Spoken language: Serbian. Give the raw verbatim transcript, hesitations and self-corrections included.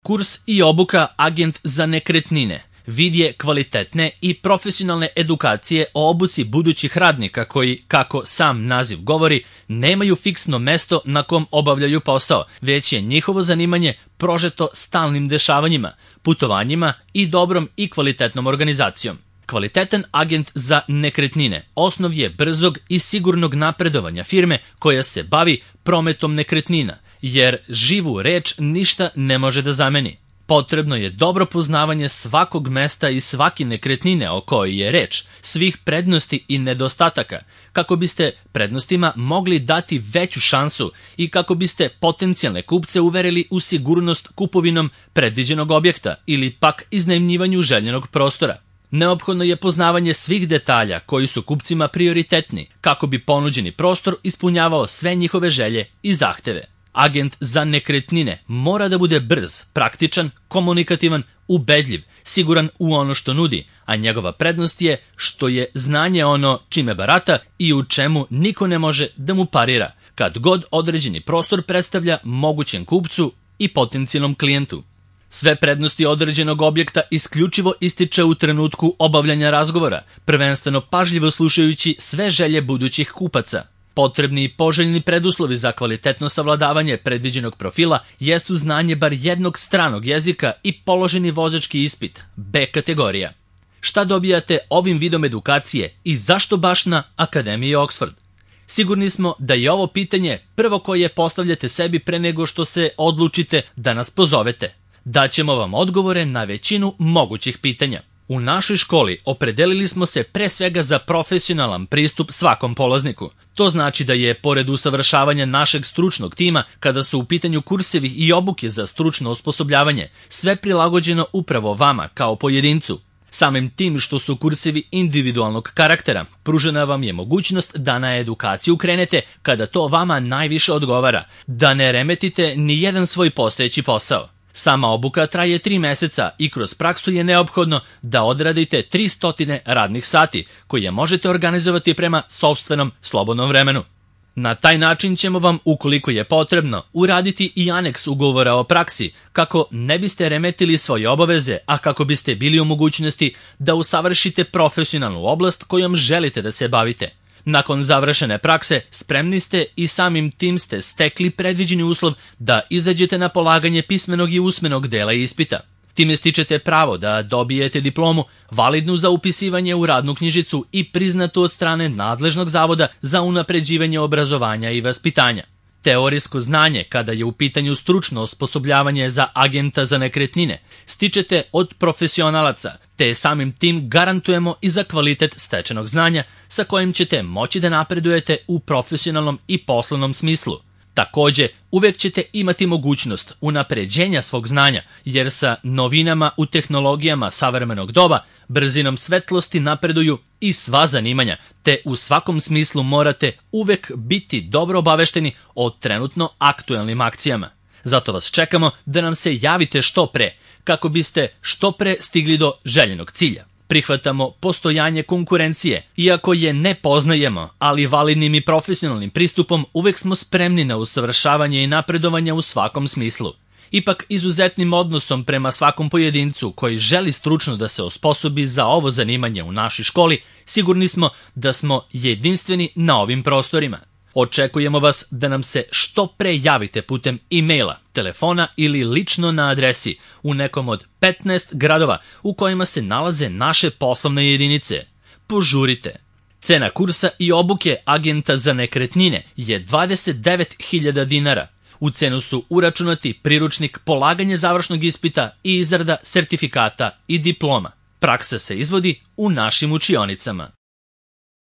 Kurs i obuka Agent za nekretnine vid je kvalitetne i profesionalne edukacije o obuci budućih radnika koji, kako sam naziv govori, nemaju fiksno mesto na kom obavljaju posao, već je njihovo zanimanje prožeto stalnim dešavanjima, putovanjima i dobrom i kvalitetnom organizacijom. Kvalitetan agent za nekretnine osnov je brzog i sigurnog napredovanja firme koja se bavi prometom nekretnina, jer živu reč ništa ne može da zameni. Potrebno je dobro poznavanje svakog mesta i svake nekretnine o kojoj je reč, svih prednosti i nedostataka, kako biste prednostima mogli dati veću šansu i kako biste potencijalne kupce uverili u sigurnost kupovinom predviđenog objekta ili pak iznajmljivanju željenog prostora. Neophodno je poznavanje svih detalja koji su kupcima prioritetni, kako bi ponuđeni prostor ispunjavao sve njihove želje i zahteve. Agent za nekretnine mora da bude brz, praktičan, komunikativan, ubedljiv, siguran u ono što nudi, a njegova prednost je što je znanje ono čime barata i u čemu niko ne može da mu parira, kad god određeni prostor predstavlja mogućem kupcu i potencijalnom klijentu. Sve prednosti određenog objekta isključivo ističe u trenutku obavljanja razgovora, prvenstveno pažljivo slušajući sve želje budućih kupaca. Potrebni i poželjni preduslovi za kvalitetno savladavanje predviđenog profila jesu znanje bar jednog stranog jezika i položeni vozački ispit, B kategorija. Šta dobijate ovim vidom edukacije i zašto baš na Akademiji Oxford? Sigurni smo da je ovo pitanje prvo koje postavljate sebi pre nego što se odlučite da nas pozovete. Daćemo vam odgovore na većinu mogućih pitanja. U našoj školi opredelili smo se pre svega za profesionalan pristup svakom polazniku. To znači da je, pored usavršavanja našeg stručnog tima, kada su u pitanju kursevi i obuke za stručno osposobljavanje, sve prilagođeno upravo vama kao pojedincu. Samim tim što su kursevi individualnog karaktera, pružena vam je mogućnost da na edukaciju krenete kada to vama najviše odgovara, da ne remetite ni jedan svoj postojeći posao. Sama obuka traje tri meseca i kroz praksu je neophodno da odradite tristo radnih sati, koje možete organizovati prema sopstvenom slobodnom vremenu. Na taj način ćemo vam, ukoliko je potrebno, uraditi i aneks ugovora o praksi, kako ne biste remetili svoje obaveze, a kako biste bili u mogućnosti da usavršite profesionalnu oblast kojom želite da se bavite. Nakon završene prakse, spremni ste i samim tim ste stekli predviđeni uslov da izađete na polaganje pismenog i usmenog dela ispita. Time stičete pravo da dobijete diplomu, validnu za upisivanje u radnu knjižicu i priznatu od strane nadležnog zavoda za unapređivanje obrazovanja i vaspitanja. Teorijsko znanje, kada je u pitanju stručno osposobljavanje za agenta za nekretnine, stičete od profesionalaca, te samim tim garantujemo i za kvalitet stečenog znanja sa kojim ćete moći da napredujete u profesionalnom i poslovnom smislu. Takođe, uvek ćete imati mogućnost unapređenja svog znanja, jer sa novinama u tehnologijama savremenog doba, brzinom svetlosti napreduju i sva zanimanja, te u svakom smislu morate uvek biti dobro obavešteni o trenutno aktuelnim akcijama. Zato vas čekamo da nam se javite što pre, kako biste što pre stigli do željenog cilja. Prihvatamo postojanje konkurencije, iako je ne poznajemo, ali validnim i profesionalnim pristupom uvek smo spremni na usavršavanje i napredovanje u svakom smislu. Ipak izuzetnim odnosom prema svakom pojedincu koji želi stručno da se osposobi za ovo zanimanje u našoj školi, sigurni smo da smo jedinstveni na ovim prostorima. Očekujemo vas da nam se što pre javite putem e-maila, telefona ili lično na adresi u nekom od petnaest gradova u kojima se nalaze naše poslovne jedinice. Požurite! Cena kursa i obuke agenta za nekretnine je dvadeset devet hiljada dinara. U cenu su uračunati priručnik, polaganje završnog ispita i izrada sertifikata i diploma. Praksa se izvodi u našim učionicama.